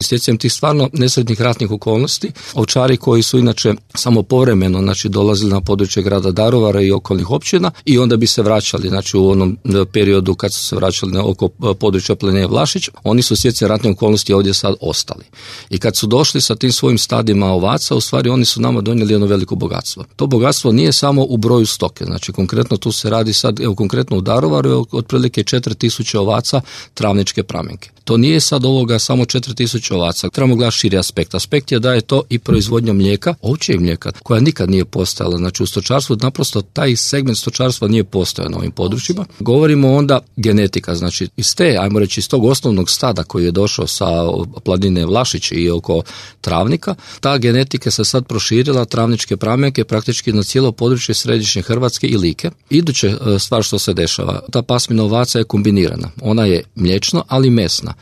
Stjecajem tih stvarno nesretnih ratnih okolnosti, ovčari koji su inače samo povremeno dolazili na područje grada Daruvara i okolnih općina i onda bi se vraćali, u onom periodu kad su se vraćali na oko područja Planine Vlašić, oni su stjecajem ratnih okolnosti ovdje sad ostali. I kad su došli sa tim svojim stadima ovaca, u stvari oni su nama donijeli jedno veliko bogatstvo. To bogatstvo nije samo u broju stoke, konkretno tu se radi sad, konkretno u Daruvaru otprilike 4000 ovaca travničke pramenke. To nije sad ovoga samo 4000 ovaca. Trebamo gledati širi aspekt. Aspekt je da je to i proizvodnja mlijeka, ovčjeg mlijeka, koja nikad nije postojala. U stočarstvu naprosto taj segment stočarstva nije postojao na ovim područjima. Govorimo onda genetika, iz te, ajmo reći, iz tog osnovnog stada koji je došao sa Planine Vlašić i oko travnika, ta genetika se sad proširila, travničke pramenke praktički na cijelo područje središnje Hrvatske i Like. Iduća stvar što se dešava, ta pasmina ovaca je kombinirana. Ona je mliječna, ali mesna.